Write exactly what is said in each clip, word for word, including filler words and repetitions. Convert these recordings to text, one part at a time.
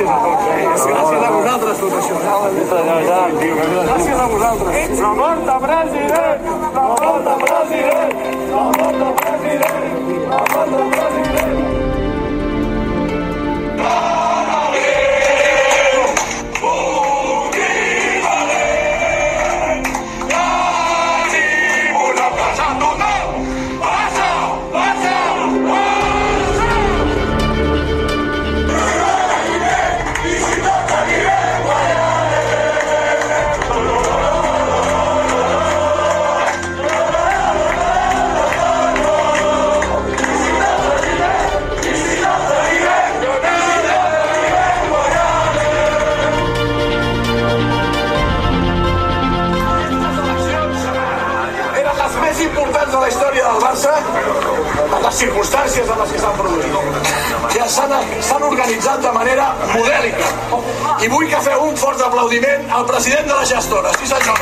gràcies a tots. Gràcies a vosaltres, tot això. Gràcies a vosaltres. La mort de president! La mort de president! La mort de president! La mort de president! importants de la història del Barça, en les circumstàncies en les que s'han produït, que s'han organitzat de manera modèlica. I vull que feu un fort aplaudiment al president de la gestora. Sí, senyor.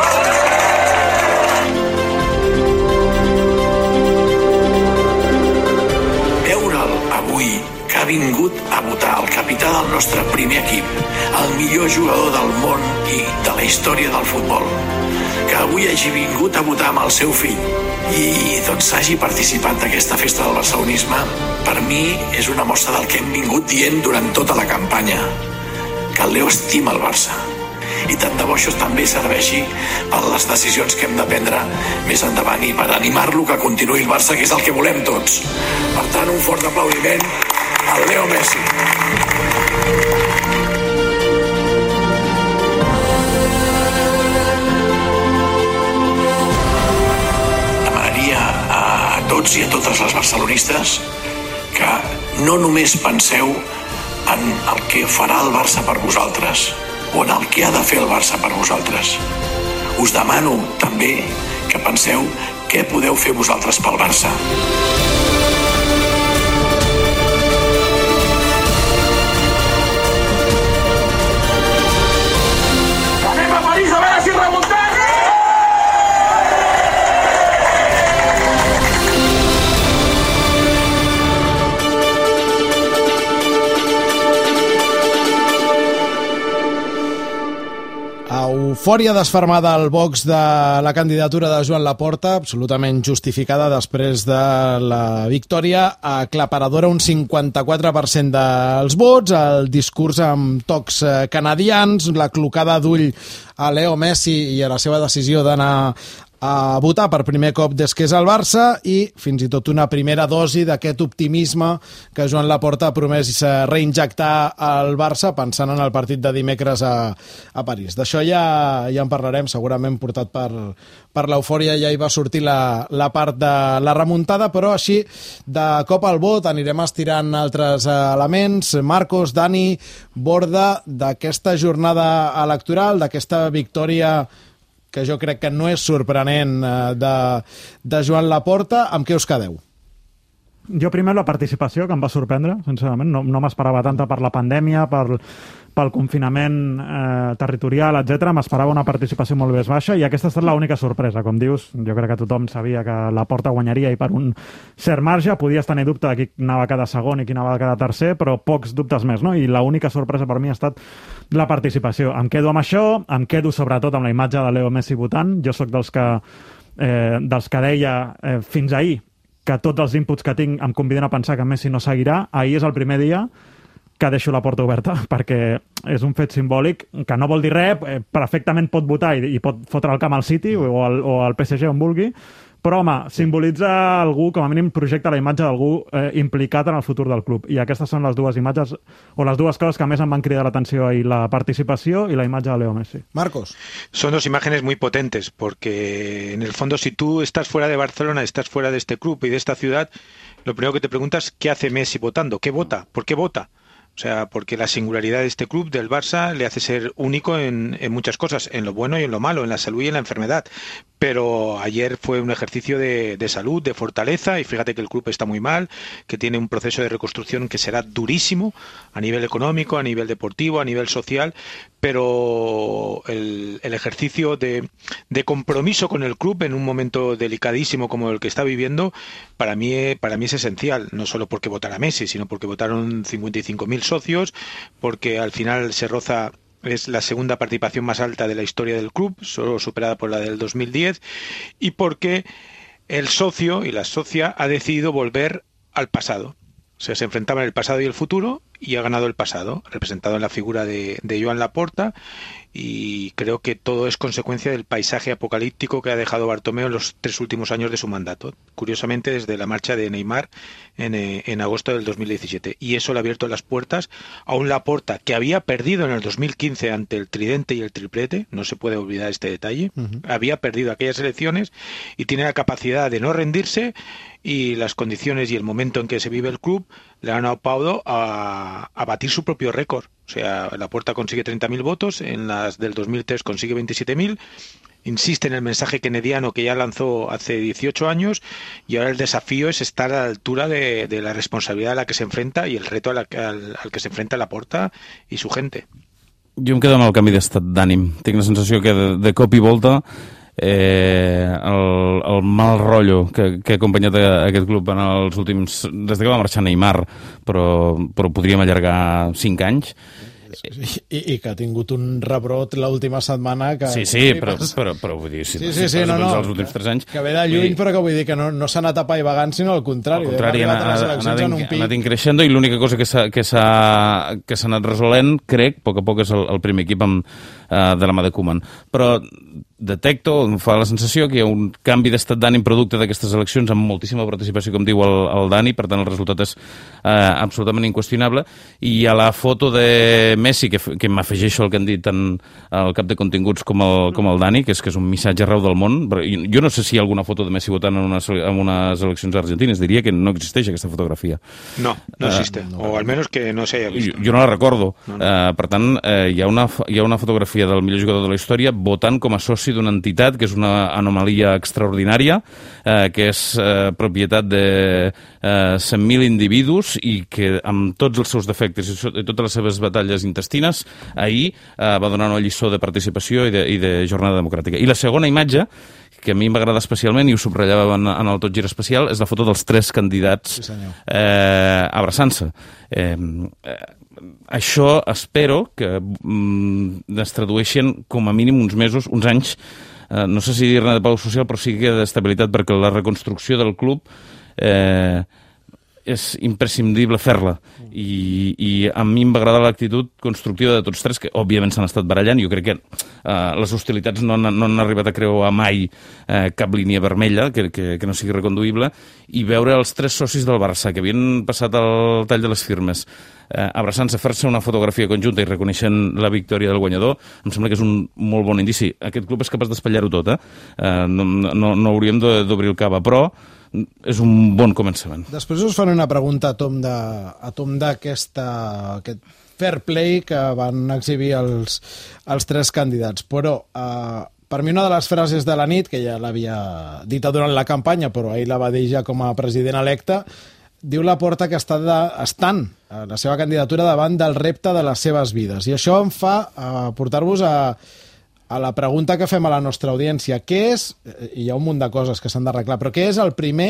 Veure'l avui, que ha vingut a votar el capità del nostre primer equip, el millor jugador del món i de la història del futbol, que avui hagi vingut a votar amb el seu fill i doncs hagi participat d'aquesta festa del barcelonisme, per mi és una mostra del que hem vingut dient durant tota la campanya, que el Leo estima el Barça. I tant de bo això també serveixi per les decisions que hem de prendre més endavant i per animar-lo que continuï el Barça, que és el que volem tots. Per tant, un fort aplaudiment al Leo Messi. Demanaria a tots i a totes les barcelonistes que no només penseu en el que farà el Barça per vosaltres o en el que ha de fer el Barça per vosaltres. Us demano també que penseu què podeu fer vosaltres pel Barça. Anem a París a veure si remuntem! Eufòria desfermada al box de la candidatura de Joan Laporta, absolutament justificada després de la victòria aclaparadora, un cinquanta-quatre per cent dels vots, el discurs amb tocs canadians, la clocada d'ull a Leo Messi i a la seva decisió d'anar a votar per primer cop des que és el Barça i fins i tot una primera dosi d'aquest optimisme que Joan Laporta ha promès reinjectar al Barça pensant en el partit de dimecres a, a París. D'això ja, ja en parlarem, segurament portat per, per l'eufòria, ja hi va sortir la, la part de la remuntada, però així de cop al vot anirem estirant altres elements. Marcos, Dani, Borda, d'aquesta jornada electoral, d'aquesta victòria que jo crec que no és sorprenent de, de Joan Laporta, amb què us quedeu? Jo primer la participació, que em va sorprendre, sincerament. No, no m'esperava tanta per la pandèmia, per, pel confinament eh, territorial, etcètera. M'esperava una participació molt més baixa i aquesta ha estat l'única sorpresa. Com dius, jo crec que tothom sabia que Laporta guanyaria i per un cert marge podies tenir dubte de qui anava a quedar segon i qui anava a quedar tercer, però pocs dubtes més, no? I l'única sorpresa per mi ha estat la participació. Em quedo amb això, em quedo sobretot amb la imatge de Leo Messi votant. Jo sóc dels que, eh, dels que deia eh, fins ahir que tots els inputs que tinc em conviden a pensar que Messi no seguirà. Ahir és el primer dia que deixo la porta oberta, perquè és un fet simbòlic que no vol dir res, perfectament pot votar i, i pot fotre el camp al City o al, o al P S G on vulgui, però, home, simbolitza algú, com a mínim projecta la imatge d'algú eh, implicat en el futur del club. I aquestes són les dues imatges, o les dues coses que més em van cridar l'atenció ahir, la participació i la imatge de Leo Messi. Marcos. Son dos imágenes muy potentes, porque en el fondo si tú estás fuera de Barcelona, estás fuera de este club y de esta ciudad, lo primero que te preguntas, ¿qué hace Messi votando? ¿Qué vota? ¿Por qué vota? O sea, porque la singularidad de este club, del Barça, le hace ser único en, en muchas cosas, en lo bueno y en lo malo, en la salud y en la enfermedad. pero ayer fue un ejercicio de, de salud, de fortaleza, y fíjate que el club está muy mal, que tiene un proceso de reconstrucción que será durísimo a nivel económico, a nivel deportivo, a nivel social, pero el, el ejercicio de, de compromiso con el club en un momento delicadísimo como el que está viviendo, para mí, para mí es esencial, no solo porque votara Messi, sino porque votaron cincuenta y cinco mil socios, porque al final se roza. Es la segunda participación más alta de la historia del club, solo superada por la del dos mil diez, y porque el socio y la socia ha decidido volver al pasado. O sea, se enfrentaban el pasado y el futuro, y ha ganado el pasado, representado en la figura de, de Joan Laporta, y creo que todo es consecuencia del paisaje apocalíptico que ha dejado Bartomeu en los tres últimos años de su mandato. Curiosamente, desde la marcha de Neymar en, en agosto del dos mil diecisiete. Y eso le ha abierto las puertas a un Laporta que había perdido en el dos mil quince ante el tridente y el triplete, no se puede olvidar este detalle, uh-huh. había perdido aquellas elecciones y tiene la capacidad de no rendirse, y las condiciones y el momento en que se vive el club le han aupado a, a batir su propio récord. O sea, Laporta consigue treinta mil votos, en las del dos mil tres consigue veintisiete mil, insiste en el mensaje kennediano que ya lanzó hace dieciocho años, y ahora el desafío es estar a la altura de, de la responsabilidad a la que se enfrenta y el reto a la, al, al que se enfrenta Laporta y su gente. Jo em quedo amb el canvi d'estat d'ànim. Tinc la sensació que de, de cop i volta eh, el, el mal rotllo que, que ha acompanyat a, a aquest club en els últims... des que va marxar Neymar, però, però podríem allargar cinc anys. I, i que ha tingut un rebrot l'última setmana que... Sí, sí, però, però, però vull dir, si, sí, sí, sí, si no, no, els últims tres anys... Que ve de lluny, però que vull dir que no, no s'ha anat apaivagant, sinó al contrari. Al contrari, ha anat, anat, anat increixent, i l'única cosa que s'ha que s'ha que s'ha anat resolent, crec, a poc a poc, és el, el primer equip amb, uh, de la mà de Koeman. Però detecto, em fa la sensació que hi ha un canvi d'estat d'ànim producte d'aquestes eleccions amb moltíssima participació, com diu el, el Dani, per tant el resultat és eh, absolutament inqüestionable, i a la foto de Messi, que, que m'afegeixo el que han dit tant el cap de continguts com el, com el Dani, que és que és un missatge arreu del món, però jo no sé si hi ha alguna foto de Messi votant en unes, en unes eleccions argentines, diria que no existeix aquesta fotografia. No, no existe, uh, o almenys que no s'haya vist. Jo, jo no la recordo, no, no. Uh, per tant uh, hi, ha una, hi ha una fotografia del millor jugador de la història votant com a soci d'una entitat que és una anomalia extraordinària, eh, que és eh, propietat de eh, cent mil individus, i que amb tots els seus defectes i, so, i totes les seves batalles intestines ahir eh, va donar una lliçó de participació i de, i de jornada democràtica. I la segona imatge, que a mi m'agrada especialment i ho subratllava en, en el Tot Gira Especial, és la foto dels tres candidats sí, eh, abraçant-se. Eh, eh, això espero que mm, es tradueixin com a mínim uns mesos, uns anys, eh, no sé si dir-ne de pau social, però sí que d'estabilitat, perquè la reconstrucció del club eh, és imprescindible fer-la, i, i a mi em va agradar l'actitud constructiva de tots tres, que òbviament s'han estat barallant. Jo crec que eh, les hostilitats no han, no han arribat a creuar mai eh, cap línia vermella que, que, que no sigui reconduïble, i veure els tres socis del Barça que havien passat el tall de les firmes eh, abraçant-se, fer-se una fotografia conjunta i reconeixent la victòria del guanyador, em sembla que és un molt bon indici. Aquest club és capaç d'espatllar-ho tot, eh? eh no, no, no hauríem d'obrir el cava, però és un bon començament. Després us faré una pregunta a tom de, a tom d'aquesta aquest fair play que van exhibir els, els tres candidats, però eh, per mi una de les frases de la nit, que ja l'havia dita durant la campanya, però ahir la va dir ja com a president electe, diu Laporta que està de, estan a la seva candidatura davant del repte de les seves vides, i això em fa eh, portar-vos a a la pregunta que fem a la nostra audiència. Què és, i hi ha un munt de coses que s'han d'arreglar, però què és el primer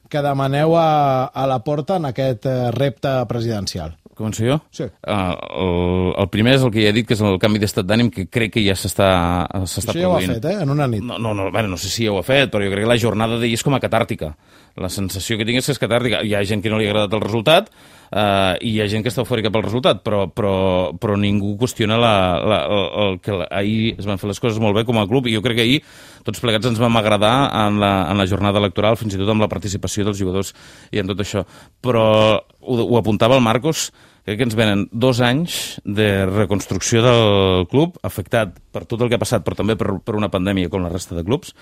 que demaneu a, a Laporta en aquest repte presidencial? Començo jo? Sí. Uh, el, el primer és el que ja he dit, que és el canvi d'estat d'ànim, que crec que ja s'està produint. Això ja ho ha fet, eh? En una nit. No, no, no, bueno, no sé si ja ho ha fet, però jo crec que la jornada d'ahir és com a catàrtica. La sensació que tinc és que és catàrtica. Hi ha gent que no li ha agradat el resultat, Uh, i hi ha gent que està eufòrica pel resultat, però, però, però ningú qüestiona la, la, el, el que la, ahir es van fer les coses molt bé com a club, i jo crec que ahir tots plegats ens vam agradar en la, en la jornada electoral, fins i tot amb la participació dels jugadors i en tot això. Però ho, ho apuntava el Marcos, crec que ens venen dos anys de reconstrucció del club, afectat per tot el que ha passat, però també per, per una pandèmia com la resta de clubs,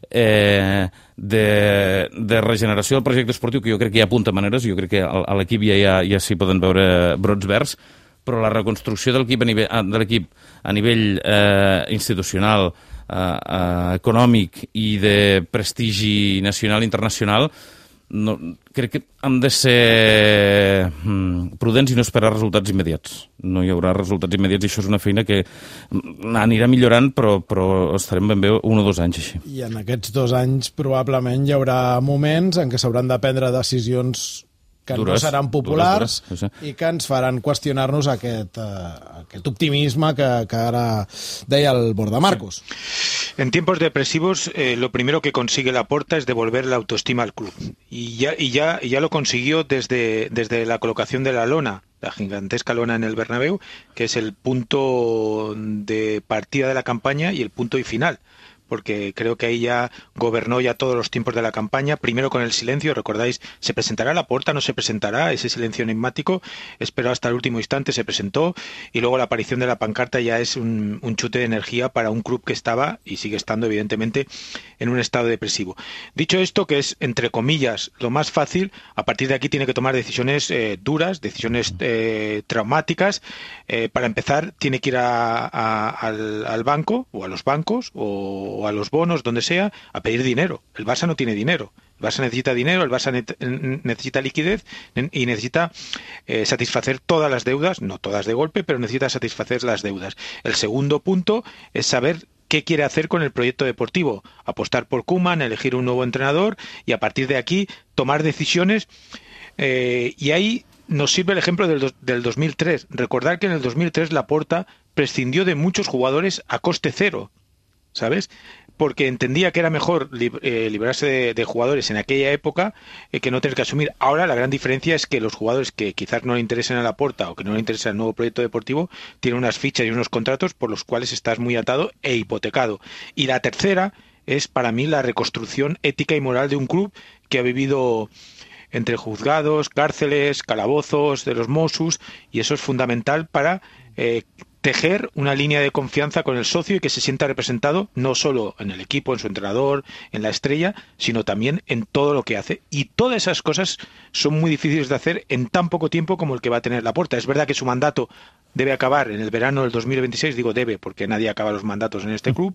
eh, de, de regeneració del projecte esportiu, que jo crec que hi ha apunta maneres, jo crec que a l'equip ja, ja, ja s'hi poden veure brots verds, però la reconstrucció de l'equip a nivell, de l'equip a nivell eh, institucional, uh, econòmic i de prestigi nacional i internacional, no, crec que hem de ser mm, prudents i no esperar resultats immediats. No hi haurà resultats immediats i això és una feina que anirà millorant, però, però estarem ben bé un o dos anys així. I en aquests dos anys probablement hi haurà moments en què s'hauran de prendre decisions que dures, no seran populars dures, dures, i que ens faran qüestionar-nos aquest, uh, aquest optimisme que, que ara deia el Bordamarcos. En tiempos depresivos, eh, lo primero que consigue Laporta es devolver la autoestima al club. Y ya, y ya, y ya lo consiguió desde, desde la colocación de la lona, la gigantesca lona en el Bernabéu, que es el punto de partida de la campaña y el punto y final. Porque creo que ahí ya gobernó ya todos los tiempos de la campaña, primero con el silencio, recordáis, ¿se presentará Laporta? ¿No se presentará? Ese silencio enigmático, esperó hasta el último instante, se presentó, y luego la aparición de la pancarta ya es un, un chute de energía para un club que estaba, y sigue estando evidentemente, en un estado depresivo. Dicho esto, que es, entre comillas, lo más fácil, a partir de aquí tiene que tomar decisiones eh, duras, decisiones eh, traumáticas. Eh, para empezar, tiene que ir a, a, al, al banco, o a los bancos, o o a los bonos, donde sea, a pedir dinero. El Barça no tiene dinero. El Barça necesita dinero, el Barça ne- necesita liquidez y necesita eh, satisfacer todas las deudas, no todas de golpe, pero necesita satisfacer las deudas. El segundo punto es saber qué quiere hacer con el proyecto deportivo. Apostar por Koeman, elegir un nuevo entrenador y a partir de aquí tomar decisiones. Eh, y ahí nos sirve el ejemplo del, do- del dos mil tres. Recordar que en el dos mil tres Laporta prescindió de muchos jugadores a coste cero, ¿sabes? Porque entendía que era mejor lib- eh, librarse de, de jugadores en aquella época eh, que no tener que asumir. Ahora la gran diferencia es que los jugadores que quizás no le interesen a Laporta o que no le interesa el nuevo proyecto deportivo tienen unas fichas y unos contratos por los cuales estás muy atado e hipotecado. Y la tercera es para mí la reconstrucción ética y moral de un club que ha vivido entre juzgados, cárceles, calabozos de los Mossos, y eso es fundamental para eh, tejer una línea de confianza con el socio y que se sienta representado no solo en el equipo, en su entrenador, en la estrella, sino también en todo lo que hace. Y todas esas cosas son muy difíciles de hacer en tan poco tiempo como el que va a tener Laporta. Es verdad que su mandato debe acabar en el verano del dos mil veintiséis, digo debe porque nadie acaba los mandatos en este club,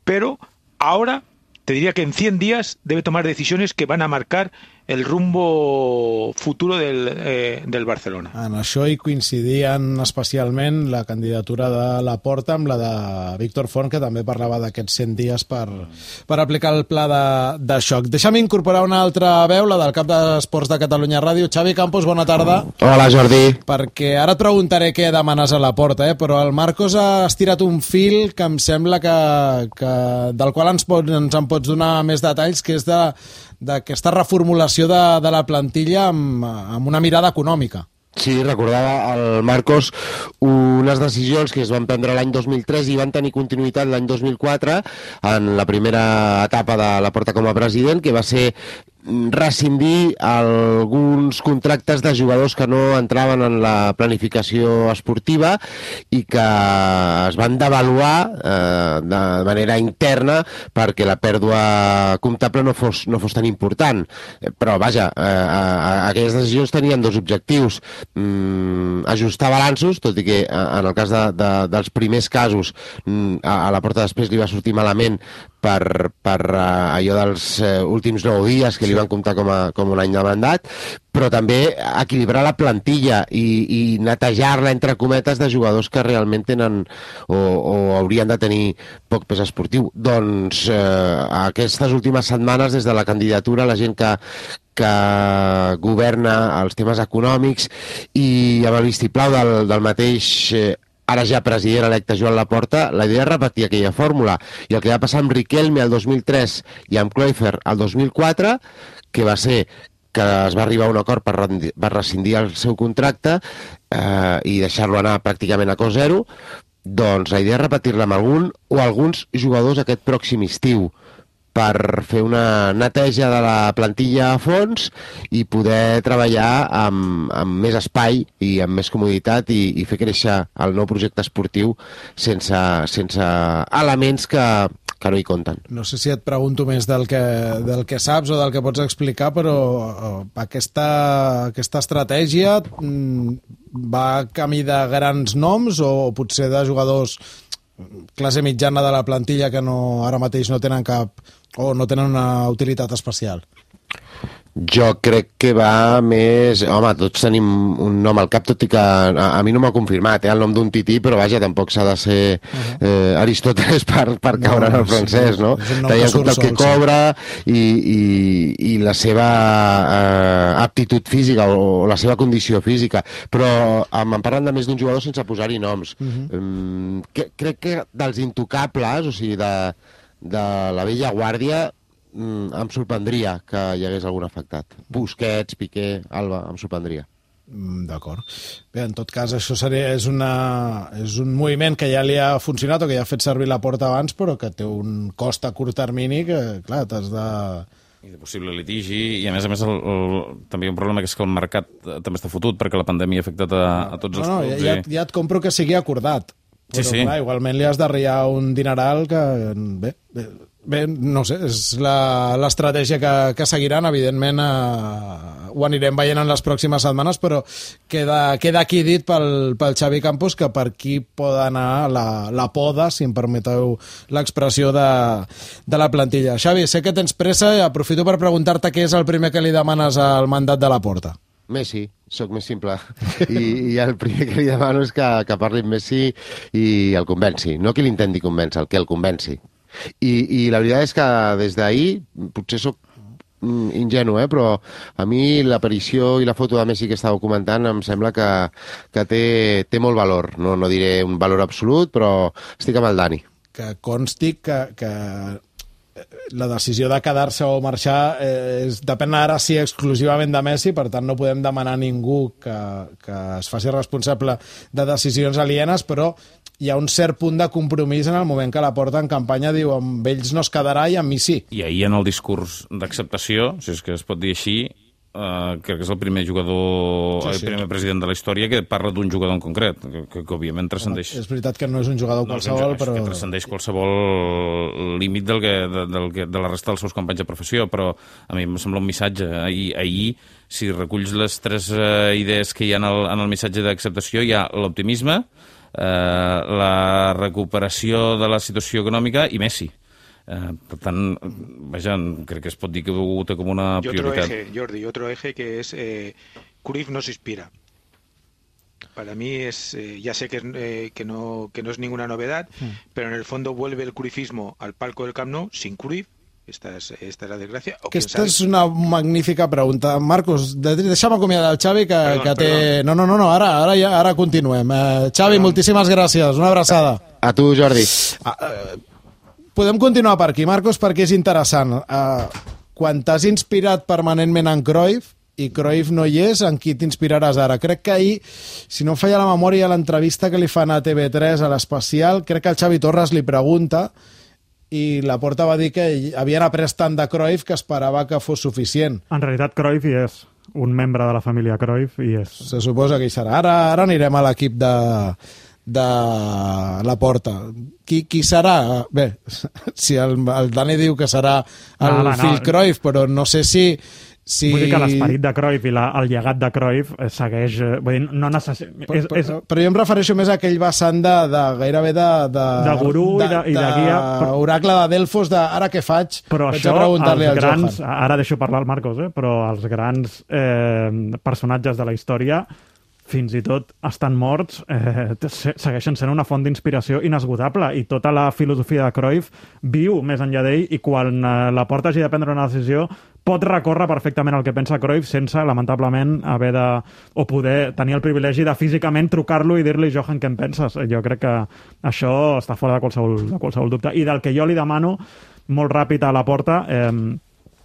pero ahora te diría que en cien días debe tomar decisiones que van a marcar el rumbo futuro del, eh, del Barcelona. En això hi coincidien especialment la candidatura de Laporta amb la de Víctor Font, que també parlava d'aquests cent dies per, per aplicar el pla de, de xoc. Deixa'm incorporar una altra veu, la del cap d'Esports de Catalunya Ràdio. Xavi Campos, bona tarda. Hola, Jordi. Perquè ara et preguntaré què demanes a Laporta, eh? Però el Marcos ha estirat un fil que em sembla que, que del qual ens, pot, ens en pots donar més detalls, que és de d'aquesta reformulació de, de la plantilla amb, amb una mirada econòmica. Sí, recordava el Marcos unes decisions que es van prendre l'any dos mil tres i van tenir continuïtat l'any dos mil quatre en la primera etapa de Laporta com a president, que va ser rescindir alguns contractes de jugadors que no entraven en la planificació esportiva i que es van devaluar eh, de manera interna perquè la pèrdua comptable no fos, no fos tan important. Però, vaja, eh, aquelles decisions tenien dos objectius. Mm, ajustar balanços, tot i que en el cas de, de, dels primers casos mm, a, a Laporta després li va sortir malament per, per uh, allò dels uh, últims nou dies que li van comptar com, a, com un any de mandat, però també equilibrar la plantilla i, i netejar-la, entre cometes, de jugadors que realment tenen o, o haurien de tenir poc pes esportiu. Doncs eh, aquestes últimes setmanes, des de la candidatura, la gent que, que governa els temes econòmics i amb el vistiplau del, del mateix eh, ara ja president electe Joan Laporta, la idea és repetir aquella fórmula. I el que va passar amb Riquelme el dos mil tres i amb Cruyff el dos mil quatre, que va ser que es va arribar a un acord per, per rescindir el seu contracte eh, i deixar-lo anar pràcticament a cost zero, doncs la idea és repetir-la amb algun o alguns jugadors aquest pròxim estiu, per fer una neteja de la plantilla a fons i poder treballar amb, amb més espai i amb més comoditat i, i fer créixer el nou projecte esportiu sense, sense elements que, que no hi compten. No sé si et pregunto més del que, del que saps o del que pots explicar, però aquesta, aquesta estratègia va camí de grans noms o potser de jugadors classe mitjana de la plantilla que no, ara mateix no tenen cap o no tenen una utilitat especial? Jo crec que va més... Home, tots tenim un nom al cap, tot i que a, a mi no m'ha confirmat, eh, el nom d'un tití, però vaja, tampoc s'ha de ser eh, Aristóteles per, per no, caure en el francès, no? Tenint en compte el que cobra i, i, i la seva eh, aptitud física o, o la seva condició física. Però em parlen de més d'un jugador sense posar-hi noms. Uh -huh. um, que, crec que dels intocables, o sigui, de, de la vella guàrdia, Mm, em sorprendria que hi hagués algun afectat. Busquets, Piqué, Alba, em sorprendria. Mm, D'acord. Bé, en tot cas, això seria, és, una, és un moviment que ja li ha funcionat o que ja ha fet servir la Porta abans, però que té un cost a curt termini que, clar, t'has de... I de possible litigi, i a més a més el, el, també hi ha un problema que és que el mercat també està fotut perquè la pandèmia ha afectat a, a tots no, els no, clubs. Ja, I... ja et compro que sigui acordat. Però, sí, sí. clar, igualment li has d'arriar un dineral que... Bé, bé, bé no sé, és l'estratègia que, que seguiran, evidentment eh, ho anirem veient en les pròximes setmanes, però queda, queda aquí dit pel, pel Xavi Campos que per aquí pot anar la, la poda, si em permeteu l'expressió de, de la plantilla. Xavi, sé que tens pressa i aprofito per preguntar-te què és el primer que li demanes al mandat de la Porta. Messi, sóc més simple. I, i el primer que li demano és que, que parli amb Messi i el convenci. No que l'intenti convèncer, el que el convenci. I, i la veritat és que des d'ahir, potser sóc ingenu, eh? Però a mi l'aparició i la foto de Messi que estàveu comentant em sembla que, que té, té molt valor. No, no diré un valor absolut, però estic amb el Dani. Que consti que... que... la decisió de quedar-se o marxar eh, és, depèn ara sí exclusivament de Messi, per tant no podem demanar a ningú que, que es faci responsable de decisions alienes, però hi ha un cert punt de compromís en el moment que la Porta en campanya diu amb ells no es quedarà i amb mi sí. I ahir en el discurs d'acceptació, si és que es pot dir així, Uh, crec que és el primer jugador, sí, sí. el primer president de la història que parla d'un jugador en concret, que, que, que òbviament transcendeix... És veritat que no és un jugador qualsevol, no, però... que transcendeix qualsevol límit del que, de, del que, de la resta dels seus companys de professió, però a mi em sembla un missatge. Ahir, ahir si reculls les tres uh, idees que hi ha en el, en el missatge d'acceptació, hi ha l'optimisme, uh, la recuperació de la situació econòmica i Messi. Uh, per tant, vaja, crec que es pot dir que ho té com una y prioritat. Otro eje, Jordi, otro eje que es eh, Cruyff no se inspira. Para mí es, eh, ya sé que, eh, que, no, que no es ninguna novedad, mm. pero en el fondo vuelve el cruyffismo al palco del Camp Nou sin Cruyff. Esta és, esta és la desgràcia. Aquesta és una magnífica pregunta. Marcos, deixa'm acomiadar el Xavi, que, perdón, que té... Perdón. No, no, no, no, ara, ara, ja, ara continuem. Uh, Xavi, perdón. Moltíssimes gràcies. Una abraçada. A tu, Jordi. Uh, uh, podem continuar per aquí, Marcos, perquè és interessant. Uh, quan t'has inspirat permanentment en Cruyff i Cruyff no hi és, en qui t'inspiraràs ara? Crec que ahir, si no em falla la memòria, l'entrevista que li fan a T V tres a l'Especial, crec que el Xavi Torres li pregunta i la Porta va dir que havien après tant de Cruyff que esperava que fos suficient. En realitat Cruyff hi és un membre de la família Cruyff i és... Se suposa que hi serà. Ara, ara anirem a l'equip de... de la Porta. Qui, qui serà? Bé, si el, el Dani diu que serà el ah, va, fill no. Cruyff, però no sé si... si... Vull dir que l'esperit de Cruyff i la, el llegat de Cruyff segueix... Vull dir, no necess... però, és, és... Però, però jo em refereixo més a aquell vessant de, de gairebé de... De, de gurú de, i, de, i de, de guia. Però... oracle de Delfos, de ara què faig? Però vaig això, a preguntar-li al grans, Johan. Ara deixo parlar al Marcos, eh? Però els grans eh, personatges de la història fins i tot estan morts, eh, segueixen sent una font d'inspiració inesgotable i tota la filosofia de Cruyff viu més enllà d'ell i quan eh, la Porta hagi de prendre una decisió pot recórrer perfectament el que pensa Cruyff sense, lamentablement, haver de o poder tenir el privilegi de físicament trucar-lo i dir-li, Johan, què en penses? Jo crec que això està fora de qualsevol, de qualsevol dubte. I del que jo li demano, molt ràpid a la Porta, eh,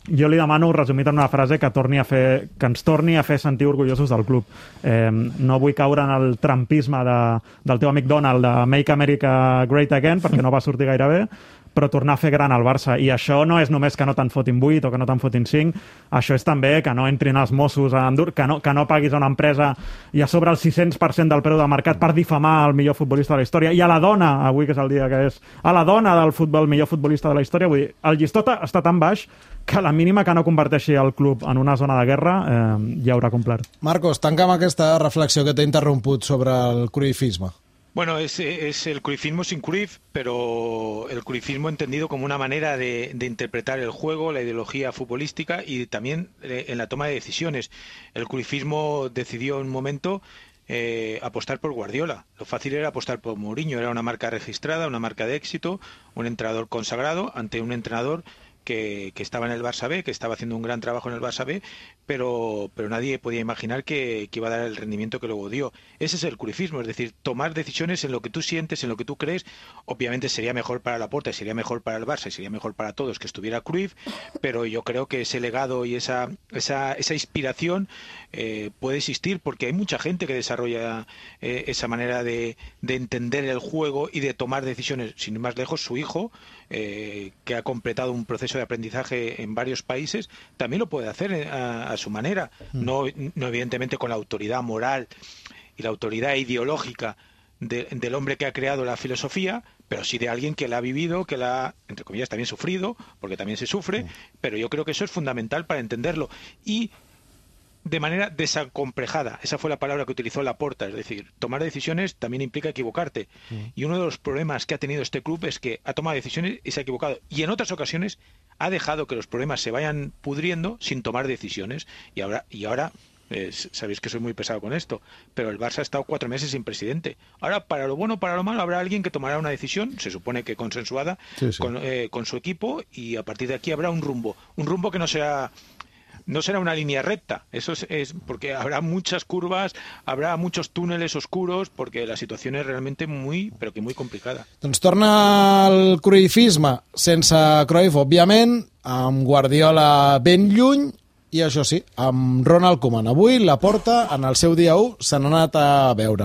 jo li demano, resumit en una frase, que torni a fer, que ens torni a fer sentir orgullosos del club. Eh, no vull caure en el trampisme de, del teu amic Donald de Make America Great Again, perquè no va sortir gaire bé, però tornar a fer gran el Barça. I això no és només que no te'n fotin vuit o que no te'n fotin cinc, això és també que no entrin els Mossos a endur, que no, que no paguis a una empresa i a sobre el sis-cents per cent del preu del mercat per difamar el millor futbolista de la història, i a la dona, avui que és el dia que és, a la dona del futbol, millor futbolista de la història. Vull dir, el llistó està tan baix que la mínima que no converteixi el club en una zona de guerra eh, ja haurà complert. Marcos, tanca amb aquesta reflexió que t'he interromput sobre el cruyffisme. Bueno, es, es el cruyffismo sin Cruyff, pero el cruyffismo entendido como una manera de, de interpretar el juego, la ideología futbolística y también eh, en la toma de decisiones. El cruyffismo decidió en un momento eh, apostar por Guardiola. Lo fácil era apostar por Mourinho, era una marca registrada, una marca de éxito, un entrenador consagrado ante un entrenador que, que estaba en el Barça B, que estaba haciendo un gran trabajo en el Barça B, pero, pero nadie podía imaginar que, que iba a dar el rendimiento que luego dio. Ese es el cruyffismo, es decir, tomar decisiones en lo que tú sientes, en lo que tú crees. Obviamente sería mejor para Laporta, sería mejor para el Barça y sería mejor para todos que estuviera Cruyff, pero yo creo que ese legado y esa, esa, esa inspiración eh, puede existir porque hay mucha gente que desarrolla eh, esa manera de, de entender el juego y de tomar decisiones. Sin ir más lejos, su hijo, eh, que ha completado un proceso de aprendizaje en varios países, también lo puede hacer a, a su manera, no, no evidentemente con la autoridad moral y la autoridad ideológica de, del hombre que ha creado la filosofía, pero sí de alguien que la ha vivido, que la ha, entre comillas, también sufrido, porque también se sufre, pero yo creo que eso es fundamental para entenderlo. Y de manera desacomplejada, esa fue la palabra que utilizó Laporta, es decir, tomar decisiones también implica equivocarte. Mm. Y uno de los problemas que ha tenido este club es que ha tomado decisiones y se ha equivocado. Y en otras ocasiones ha dejado que los problemas se vayan pudriendo sin tomar decisiones. Y ahora, y ahora eh, sabéis que soy muy pesado con esto, pero el Barça ha estado cuatro meses sin presidente. Ahora, para lo bueno o para lo malo, habrá alguien que tomará una decisión, se supone que consensuada, sí, sí. Con, eh, con su equipo, y a partir de aquí habrá un rumbo. Un rumbo que no será... No será una línea recta, eso es, es porque habrá muchas curvas, habrá muchos túneles oscuros, porque la situació és realment muy, però que muy complicada. Doncs torna el cruyffisme sense Cruyff, òbviament, amb Guardiola ben lluny, i això sí, amb Ronald Koeman. Avui Laporta, en el seu dia u, se n'ha anat a veure.